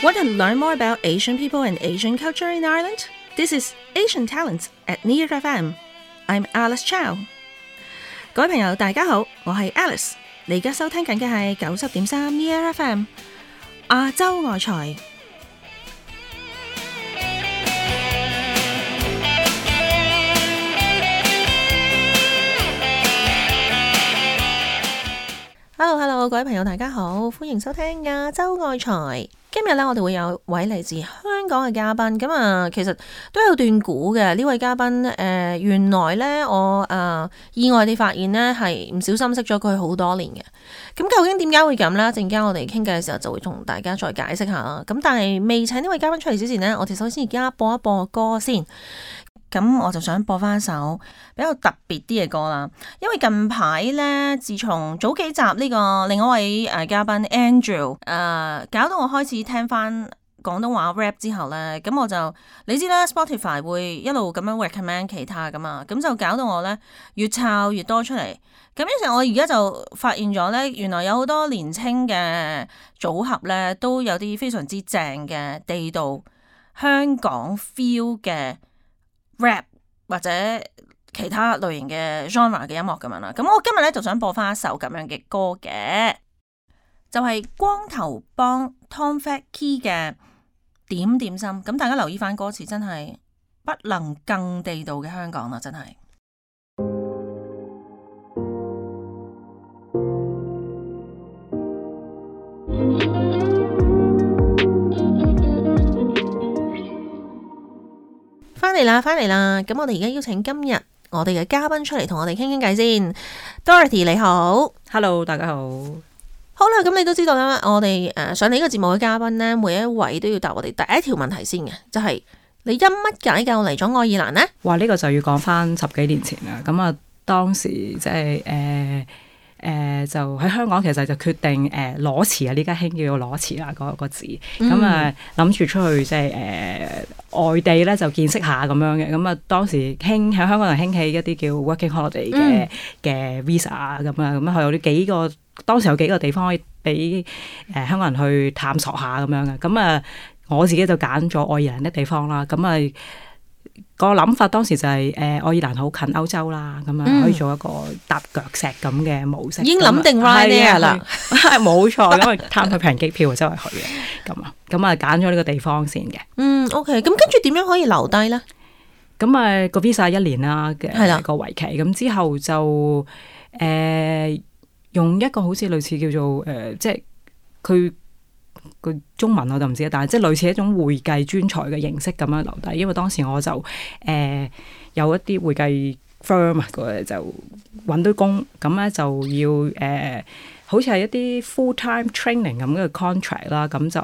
Want to learn more about Asian people and Asian culture in Ireland? This is Asian Talents at Near FM. I'm Alice Chow. 各位朋友，大家好，我係 Alice。你而家收聽緊嘅係90.3 Near FM 亞洲外財。Hello， 各位朋友，大家好，歡迎收聽亞洲外財。今日咧，我哋會有位嚟自香港嘅嘉賓，咁啊，其實都有段估嘅呢位嘉賓。原來咧，我意外地發現咧，係唔小心識咗佢好多年嘅。咁究竟點解會咁咧？陣間我哋傾偈嘅時候就會同大家再解釋下啦。咁但係未請呢位嘉賓出嚟之前呢，我哋首先而家播一播歌先。咁我就想播翻一首比較特別啲嘅歌啦，因為近排咧，自從早幾集呢個另一位嘉賓 Andrew 搞到我開始聽翻廣東話 rap 之後咧，咁我就你知啦 Spotify 會一路咁樣 recommend 其他噶嘛，咁就搞到我咧越抄越多出嚟，咁於是我而家就發現咗咧，原來有好多年青嘅組合咧都有啲非常之正嘅地道香港 feel 嘅rap 或者其他類型嘅 genre 嘅音樂咁樣啦，咁我今日咧就想播翻一首咁樣嘅歌嘅，就係光頭幫 Tom Fat Key 嘅點點心。咁大家留意翻歌詞，真係不能更地道嘅香港啦，真係。翻嚟啦！咁我哋而家邀請今日我哋嘅嘉賓出嚟同我哋傾傾偈先。Dorothy 你好 ，Hello 大家好。好啦，咁你都知道啦，我哋上嚟呢個節目嘅嘉賓呢，每一位都要答我哋第一條問題先嘅，就係你因乜解救嚟咗愛爾蘭呢？哇！呢個就要講翻10幾年前啦。咁啊，當時即係就喺香港，其實就決定裸辭啊！呢家興叫做裸辭啦，嗰個字。咁啊，諗住出去即係外地咧就見識下咁樣嘅。咁啊，當時喺香港人興起一啲叫 working holiday 嘅 visa 啊咁啊，咁佢有啲幾個，當時有幾個地方可以俾香港人去探索下咁樣嘅。咁啊，我自己就揀咗愛爾蘭啲地方啦。咁啊，個諗法當時就係愛爾蘭好近歐洲啦，咁啊可以做一個踏腳石咁嘅模式。已經諗定 Ryanair 啦，冇錯，因為貪佢平機票周圍去嘅，咁啊揀咗呢個地方先嘅。OK， 咁跟住點樣可以留低咧？咁啊個 visa 1年啦嘅個為期，咁之後就用一個好似類似叫做即係佢個中文我就唔知，但係即係類似一種會計專才嘅形式咁樣留低，因為當時我就有一啲會計 firm 就揾到工，咁咧就要好似係一啲 full time training 咁嘅 contract 啦，咁就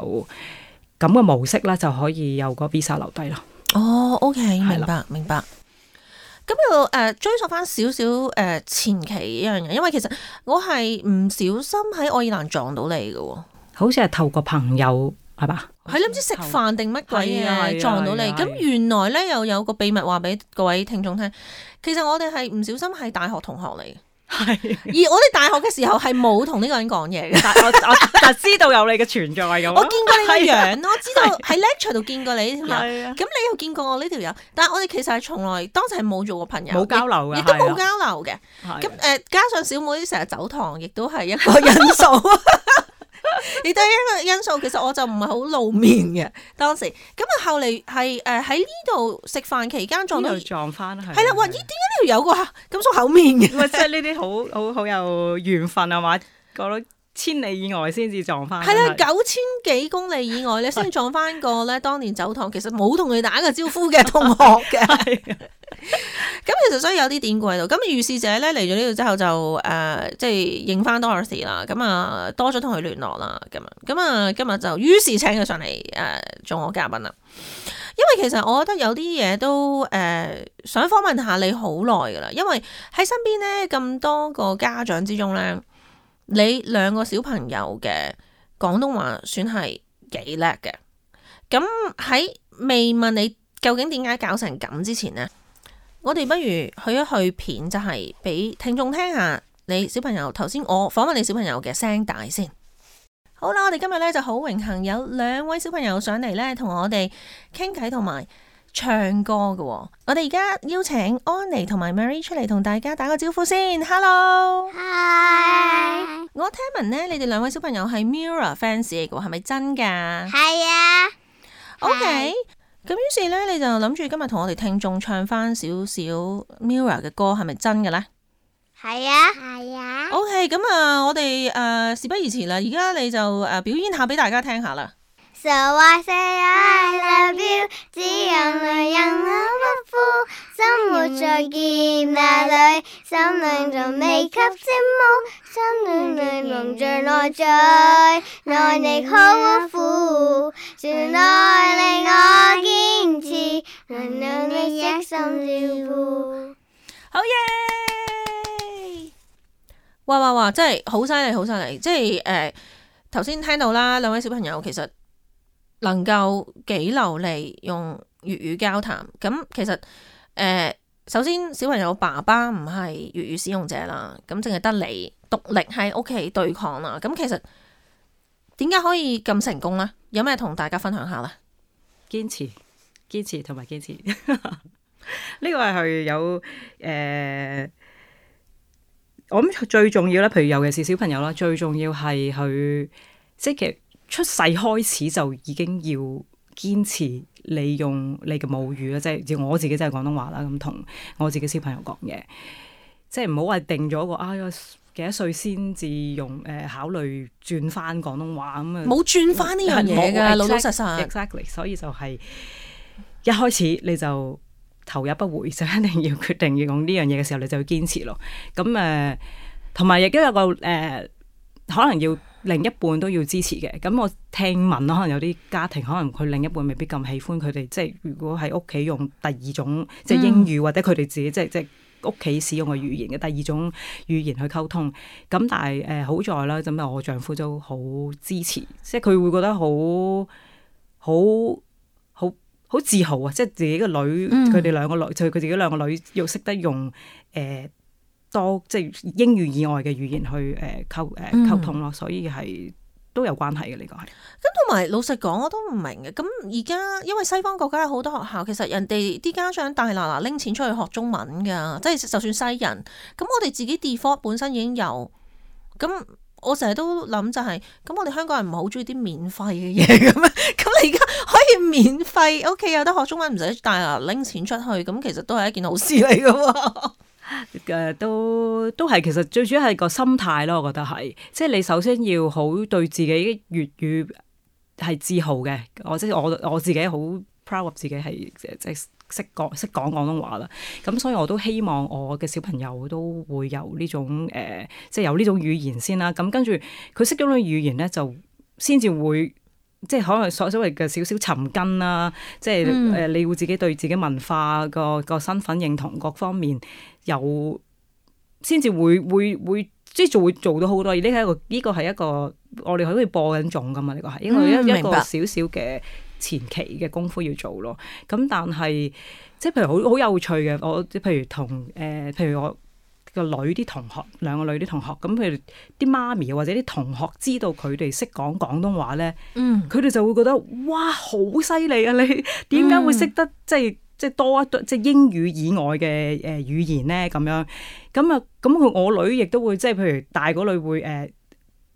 咁嘅模式咧就可以有個 visa 留低咯。哦 OK， 明白。咁要追溯翻少少前期一樣嘢，因為其實我係唔小心喺愛爾蘭撞到你嘅喎。好似係透過朋友係嘛？係你唔知食飯定乜鬼嘢撞到你。咁原來咧又有個秘密話俾各位聽眾聽，其實我哋係唔小心係大學同學嚟嘅。係，而我哋大學嘅時候係冇同呢個人講嘢嘅。但知道有你嘅存在咁。我見過你個樣咯，知道喺 lecture 度見過你呢條友。咁你又見過我呢條友，但係我哋其實係從來當時係冇做過朋友，冇交流嘅，亦都冇交流嘅。咁加上小妹成日走堂，亦都係一個因素。亦都係一個因素，其實我就唔係好露面嘅當時。咁啊，後嚟係喺呢度食飯期間撞翻係啦。哇！咦，點解呢條有個咁熟口面嘅？即係呢啲好有緣分啊嘛，過到千里以外先至撞翻。係啦，9000幾公里以外咧，先撞翻個咧當年走堂，其實冇同佢打過招呼嘅同學嘅。咁其實所以有啲典故喺度。咁如是者咧嚟咗呢度之後就即係認翻 Dorothy 啦。咁啊多咗同佢聯絡啦。咁啊今日就於是請佢上嚟做我嘉賓啦。因為其實我覺得有啲嘢都想訪問下你好耐噶啦。因為喺身邊咧咁多個家長之中咧，你2個小朋友嘅廣東話算係幾叻嘅。咁喺未問你究竟點解搞成咁之前呢，我哋不如去一去片，就係俾聽眾聽下你小朋友頭先我訪問你小朋友嘅聲帶先。好啦，我哋今日咧就好榮幸有2位小朋友上嚟咧，同我哋傾偈同埋唱歌嘅。我哋而家邀請安妮同埋 Mary 出嚟同大家打個招呼先。Hello， Hi，我聽聞咧，你哋2位小朋友係 Mirror fans 嚟嘅，係咪真噶？係啊。OK， 咁於是咧，你就諗住今日同我哋聽眾唱翻少少 Mirror 嘅歌，係咪真嘅咧？係啊，係啊。OK， 咁我哋事不宜遲啦，而家你就表演下俾大家聽下啦。So I say I love you， 只有女人我不負，生活在劫那裏，心靈仲未及節目，心裏蒙着內在，內力好苦，全愛令我堅持，能讓你一心照顧。好耶！哇！真係好犀利，好犀利！即係頭先聽到啦，2位小朋友其實能夠幾流利用粵語交談。咁其實首先小朋友爸爸唔係粵語使用者啦，咁淨係得你獨力喺屋企對抗啦。咁其實點解可以咁成功呢？有咩同大家分享下呢？堅持同埋堅持。呢個係有我諗最重要咧，譬如尤其是小朋友啦，最重要係佢即係其實出世開始就已經要堅持利用你嘅母語啦，即係我自己真係廣東話啦，咁同我自己小朋友講嘢，即係唔好話定咗個幾多歲先至用考慮轉翻廣東話咁啊，冇轉翻呢樣嘢㗎，老老實實。Exactly， 所以就係一開始你就頭也不回，就一定要決定要用呢樣嘢嘅時候，你就要堅持咯。咁同埋亦都有個可能要另一半都要支持嘅。咁我聽聞可能有啲家庭，可能佢另一半未必咁喜歡佢哋，即係如果喺屋企用第二種即係英語，或者佢哋自己即係屋企使用嘅語言嘅第二種語言去溝通。咁但係好在啦，咁我丈夫都好支持，即係佢會覺得好自豪啊！即係自己個女，佢哋2個女，就佢自己2個女要識得用多即係英語以外嘅語言去溝通咯，所以係都有關係嘅呢個係。咁同埋老實講，我都唔明嘅。咁而家因為西方國家有好多學校，其實人哋啲家長大嗱拎錢出去學中文㗎，即係就算西人。咁我哋自己 default 本身已經有咁。我成日都諗就係，咁我哋香港人唔係好中意啲免費嘅嘢咁啊，咁你而家可以免費，OK 有得學中文唔使大拿拎錢出去，咁其實都係一件好事嚟㗎喎。都係，其實最主要係個心態咯，我覺得係，即係你首先要好對自己粵語係自豪嘅，我自己好 proud of 自己係即係識講廣東話啦，咁所以我都希望我嘅小朋友都會有呢種即係有呢種語言先啦。咁跟住佢識咗呢種語言咧，就先至會即係可能所謂嘅少少尋根啦。即係你會自己對自己文化個身份認同各方面有，先至會即係就會做到好多。而呢個係一個我哋可以播緊種噶嘛？呢個係因為一個少少嘅前期嘅功夫要做咯，咁但係即係譬如好有趣嘅，我譬如我個女啲同學，2個女啲同學，咁譬如啲媽咪或者啲同學知道佢哋識講廣東話咧，佢哋就會覺得哇好犀利啊！你點解會識得即係多一即係英語以外嘅語言咧？咁樣咁我女亦都會即係譬如大個女會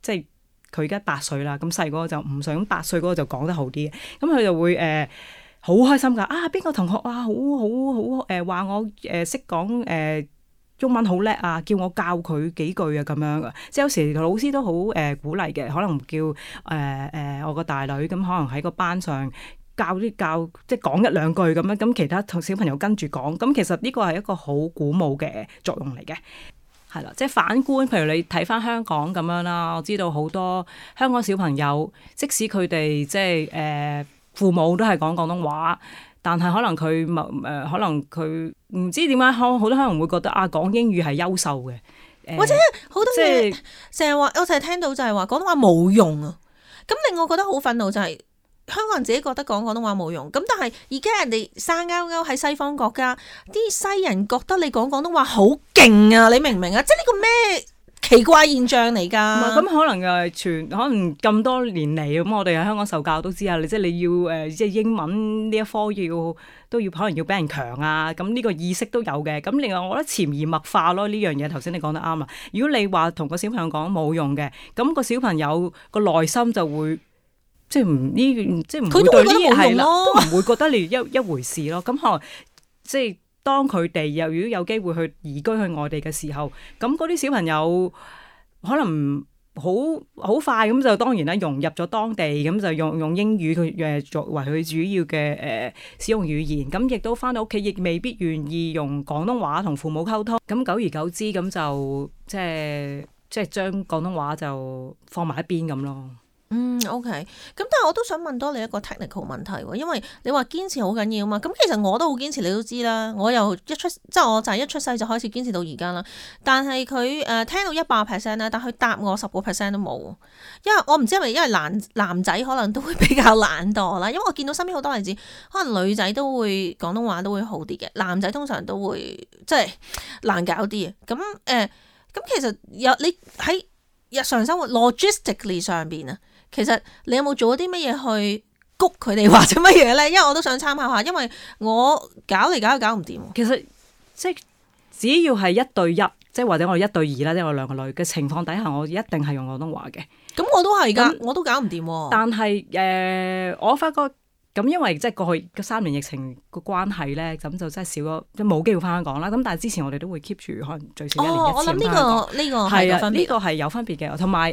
即係。佢而家8歲啦，咁細嗰個就5歲，咁8歲嗰個就講得好啲嘅，咁佢就會好開心㗎。邊個同學好話我識講中文好叻啊，叫我教佢幾句啊咁樣嘅。即係有時老師都好鼓勵嘅，可能叫我個大女咁，可能喺個班上教即係講1-2句咁樣，咁其他同小朋友跟住講，咁其實呢個係一個好鼓舞嘅作用嚟嘅。係啦，即係反觀，譬如你睇翻香港咁樣啦，我知道好多香港小朋友，即使佢哋即係父母都係講廣東話，但係可能佢唔知點解，好多可能會覺得講英語係優秀嘅，或者好多嘢成日話，我成日聽到就係話廣東話冇用啊，咁令我覺得好憤怒就係。香港人自己覺得講廣東話冇用，咁但係而家人哋生勾勾喺西方國家，啲西人覺得你講廣東話好勁啊！你明唔明啊？即係呢個咩？奇怪現象嚟㗎。咁可能可能咁多年嚟咁，我哋喺香港受教都知啊，即係你要即係英文呢一科都要可能要俾人強啊，咁呢個意識都有嘅。咁另外我覺得潛移默化咯，呢樣嘢頭先你講得啱啦。如果你話同個小朋友講冇用嘅，咁個小朋友個內心就會即係唔會對呢啲係啦，都唔會覺得你一回事咯。咁可能即係當佢哋如果有機會去移居去外地嘅時候，咁嗰啲小朋友可能好快咁就當然啦，融入咗當地，咁就用英語佢作為佢主要嘅使用語言，咁亦都翻到屋企亦未必願意用廣東話同父母溝通，咁久而久之咁就即係將廣東話就放埋一邊咁咯。OK， 咁但係我都想問多你一個 technical 問題喎，因為你話堅持好緊要嘛，咁其實我都好堅持，你都知啦，我又我就係一出世就開始堅持到而家啦。但係佢聽到100%咧，但佢答我10% 都冇，因為我唔知係咪因為男仔可能都會比較懶惰啦，因為我見到身邊好多例子，可能女仔都會廣東話都會好啲嘅，男仔通常都會即係難搞啲嘅。咁其實你喺日常生活 logistically 上邊啊，其實你有冇做咗啲乜嘢去谷佢哋或者乜嘢咧？因為我都想參考下，因為我搞嚟搞去搞唔掂。其實即係只要係1對1，即係或者我哋1對2啦，即係我2個女嘅情況底下，我一定係用廣東話嘅。咁我都係㗎，我都搞唔掂。但係我發覺咁，因為即係過去3年疫情個關係咧，咁就真係少咗，即係冇機會翻香港啦。咁但係之前我哋都會 keep 住可能最少1年1次。我諗呢個係有分別。呢個係有分別嘅，同埋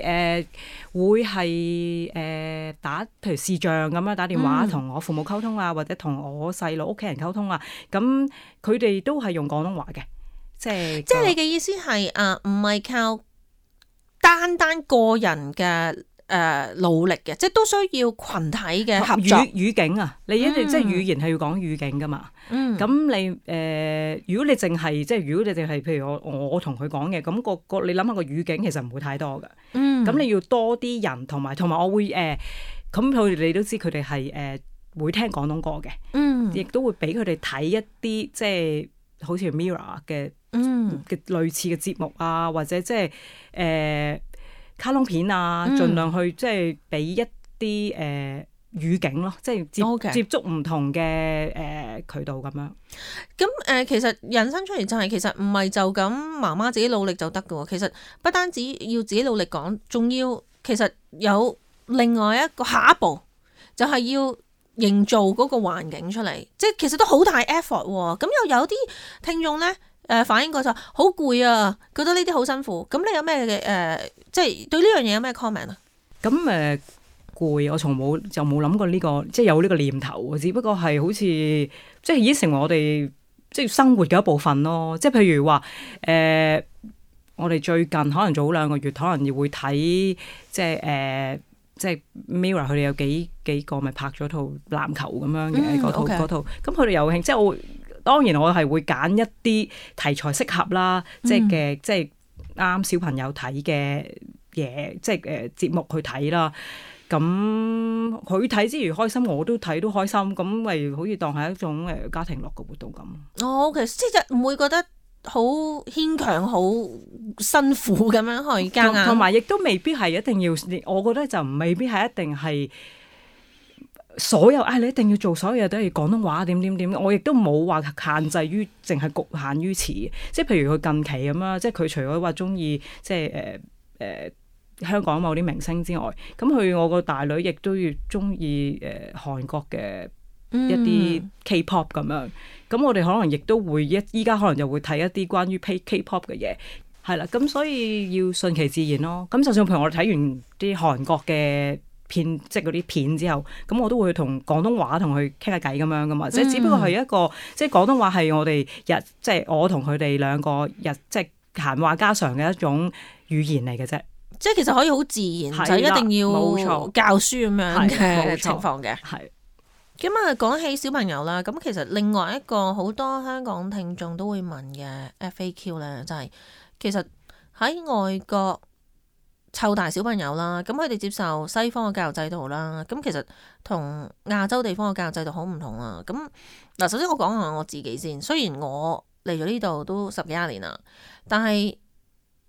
會係打譬如視像咁樣打電話同我父母溝通啊，或者同我細佬屋企人溝通啊。咁佢哋都係用廣東話嘅，即係你嘅意思係唔係靠單個人嘅努力嘅，即係都需要群體嘅合作。語境啊，你一定即係語言係要講語境噶嘛。咁你如果你淨係譬如我同佢講嘅，咁你諗下個語境其實唔會太多噶。咁你要多啲人同埋我會咁佢哋都知佢哋係會聽廣東歌嘅，亦都會俾佢哋睇一啲即係好似 Mirror 嘅類似嘅節目啊，或者即係卡通片啊，盡量去即係俾一啲語境咯，即係接觸唔同嘅渠道咁樣。咁其實引申出嚟就係其實唔係就咁媽媽自己努力就得㗎喎，其實不單止要自己努力講，仲要其實有另外一個下一步，就係要營造嗰個環境出嚟，即係其實都好大 effort 喎。咁又有啲聽眾咧反映過就好攰啊，覺得呢啲好辛苦。咁你有咩即係對呢樣嘢有咩 comment 啊？咁攰，我從冇諗過呢個，即係有呢個念頭，只不過係好似即係已經成為我哋即係生活嘅一部分咯。即係譬如話我哋最近可能早2個月，可能會睇即係Mirror 佢哋有幾個咪拍咗套籃球咁樣嘅嗰套，咁佢哋有興，即係當然我係會揀一啲題材適合啦，即係啱小朋友睇嘅嘢，即係節目去睇啦。咁佢睇之餘開心，我都睇都開心，咁咪好似當係一種家庭樂嘅活動咁。OK，即係唔會覺得好牽強、好辛苦咁樣去夾硬，同埋亦都未必係一定要。我覺得就未必係一定係所有你一定要做所有嘢都係廣東話點。我亦都冇話限制於淨係局限於此。即係譬如佢近期咁啦，即係佢除咗話中意即係香港某啲明星之外，咁我個大女亦都要中意韓國嘅一啲 K-pop 咁樣。咁我哋可能亦都會依家可能就會睇一啲關於 K-pop 嘅嘢，係啦。咁所以要順其自然咯。咁就算譬如我哋睇完啲韓國嘅片，即係嗰啲片之後，咁我都會同廣東話同佢傾下偈咁樣噶嘛。即係只不過係一個即係廣東話係我哋即係我同佢哋兩個即係閒話家常嘅一種語言嚟嘅啫。即係其實可以好自然，就一定要教書咁樣嘅情況嘅。係咁啊，講起小朋友啦，咁其實另外一個好多香港聽眾都會問嘅 FAQ 咧，就係其實喺外國湊大小朋友啦，咁佢哋接受西方嘅教育制度啦，咁其實同亞洲地方嘅教育制度好唔同啊。咁嗱，首先我講下我自己先，雖然我嚟咗呢度都10幾20年啦，但係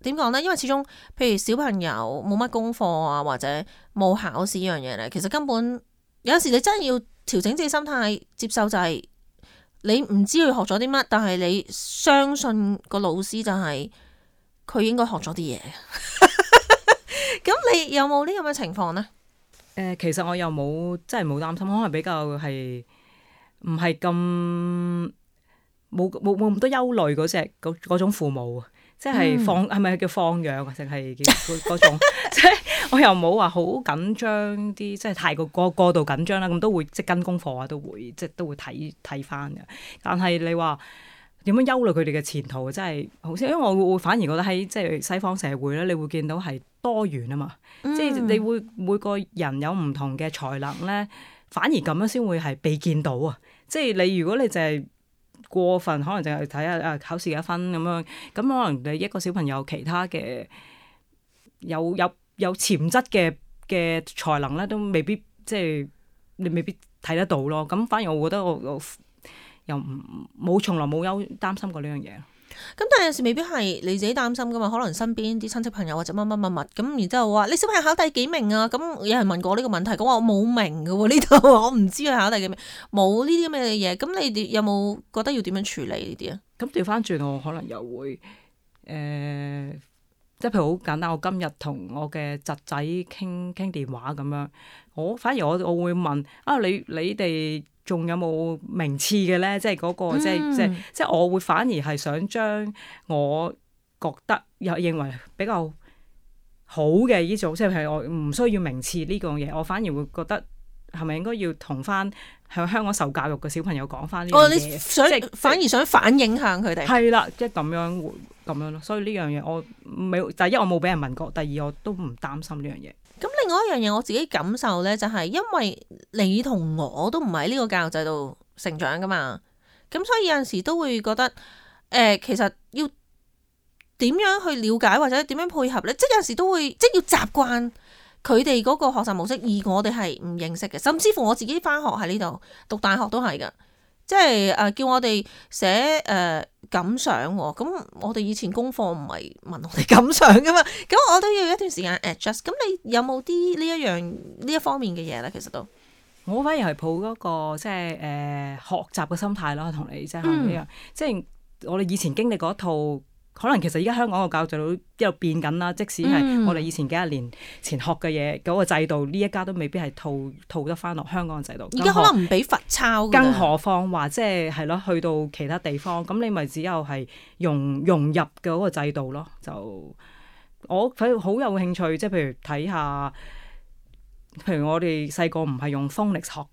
點講咧？因為始終譬如小朋友冇乜功課啊，或者冇考試呢樣嘢咧，其實根本有陣時你真係要調整自己心態，接受就係你唔知佢學咗啲乜，但係你相信個老師就係佢應該學咗啲嘢。咁你有冇呢咁嘅情況呢？其實我又冇真係冇擔心，可能比較係唔係咁冇咁多憂慮嗰種父母，即係係咪叫放養啊？定係叫嗰種？即係我又冇話好緊張啲，即係太過度緊張啦。咁都會即係跟功課啊，都會睇翻嘅。但係你話點樣憂慮佢哋嘅前途，真係好似因為我會反而覺得喺即係西方社會咧，你會見到係多元啊嘛。即係你會每個人有唔同嘅才能咧，反而咁樣先會係被見到啊！即係你如果你淨係過分，可能淨係睇下考試幾分咁樣，咁可能你一個小朋友其他嘅有潛質嘅才能咧，都未必即係你未必睇得到咯。咁反而我覺得我又從來冇擔心過呢樣嘢。咁但係有時未必係你自己擔心噶嘛，可能身邊啲親戚朋友或者乜咁，然之後話你小朋友考第幾名啊？咁有人問過呢個問題，講話我冇名噶喎，呢度我唔知佢考第幾名，冇呢啲咁嘅嘢。咁你哋有冇覺得要點樣處理呢啲啊？咁調翻轉我可能又會即係譬如好簡單，我今日同我嘅侄仔傾電話咁樣，反而我會問啊，你哋仲有冇名次嘅咧？即係嗰個即係我會反而係想將我覺得又認為比較好嘅呢種，即係譬如我唔需要名次呢個嘢，我反而會覺得係咪應該要同翻喺香港受教育嘅小朋友講翻呢樣嘢？你想反而想反映向佢哋？係啦，即係咁樣咯。所以呢樣嘢我第一我冇俾人問過，第二我都唔擔心呢樣嘢。咁另外一樣嘢我自己感受咧，就係因為你同我都唔係呢個教育制度成長噶嘛，咁所以有陣時都會覺得其實要點樣去了解或者點樣配合咧，即係有陣時都會即係要習慣佢哋嗰個學習模式，而我哋係唔認識嘅，甚至乎我自己翻學喺呢度讀大學都係噶，即係叫我哋寫感想喎，咁我哋以前功課唔係問我哋感想噶嘛，咁我都要一段時間 adjust。咁你有冇啲呢一方面嘅嘢咧？其實都我反而係抱嗰個即係學習嘅心態咯，同你即係呢樣，即係我哋以前經歷嗰一套。可能其實而家香港個教育制度一路變緊啦，即使係我哋以前幾廿年前學嘅嘢嗰個制度，呢一家都未必係套得翻落香港嘅制度。而家可能唔俾罰抄，更何況話即係咯，去到其他地方，咁你咪只有係融入嘅嗰個制度咯。就我好有興趣，即係譬如睇下，譬如我哋細個唔係用 phonics 學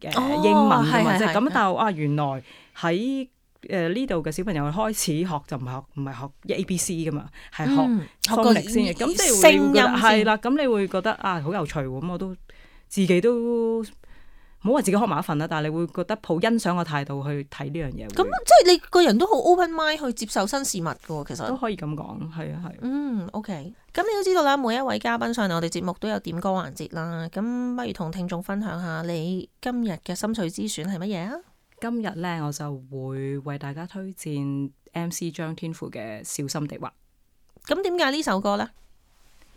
英文㗎嘛，即係咁，但係原來喺呢度嘅小朋友開始學就唔係學 ABC 噶嘛，係學 phonics 先嘅。咁即係你會覺得係啦，咁你會覺得好有趣喎。咁我都自己都唔好話自己學埋一份啦，但係你會覺得抱欣賞嘅態度去睇呢樣嘢。咁即係你個人都好 open mind 去接受新事物㗎，其實都可以咁講，係啊係。OK。咁你都知道啦，每一位嘉賓上嚟我哋節目都有點歌環節啦。咁不如同聽眾分享下你今日嘅心水之選係乜嘢啊？今日咧，我就會為大家推薦 MC 張天賦嘅《小心地滑》。咁點解呢首歌呢？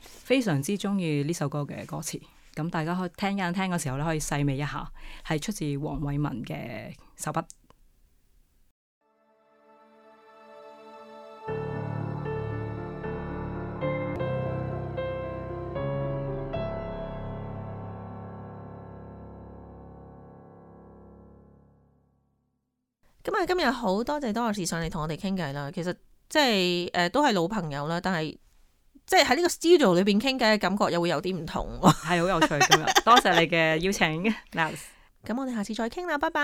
非常之中意呢首歌嘅歌詞，咁大家可以聽嘅時候咧，可以細味一下，係出自黃偉文嘅手筆。咁啊，今日好多謝Doris上嚟同我哋傾偈啦。其實即係都係老朋友啦，但係即係喺呢個 studio 裏邊傾偈嘅感覺又會有啲唔同，係好有趣今日。多謝你嘅邀請。咁我哋下次再傾啦，拜拜。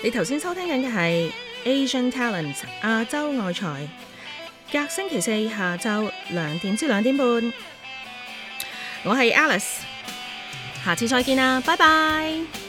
你頭先收聽緊嘅係 Asian Talent 亞洲愛才，隔星期四下晝2點至2點半，我係 Alice。下次再見啦，拜拜。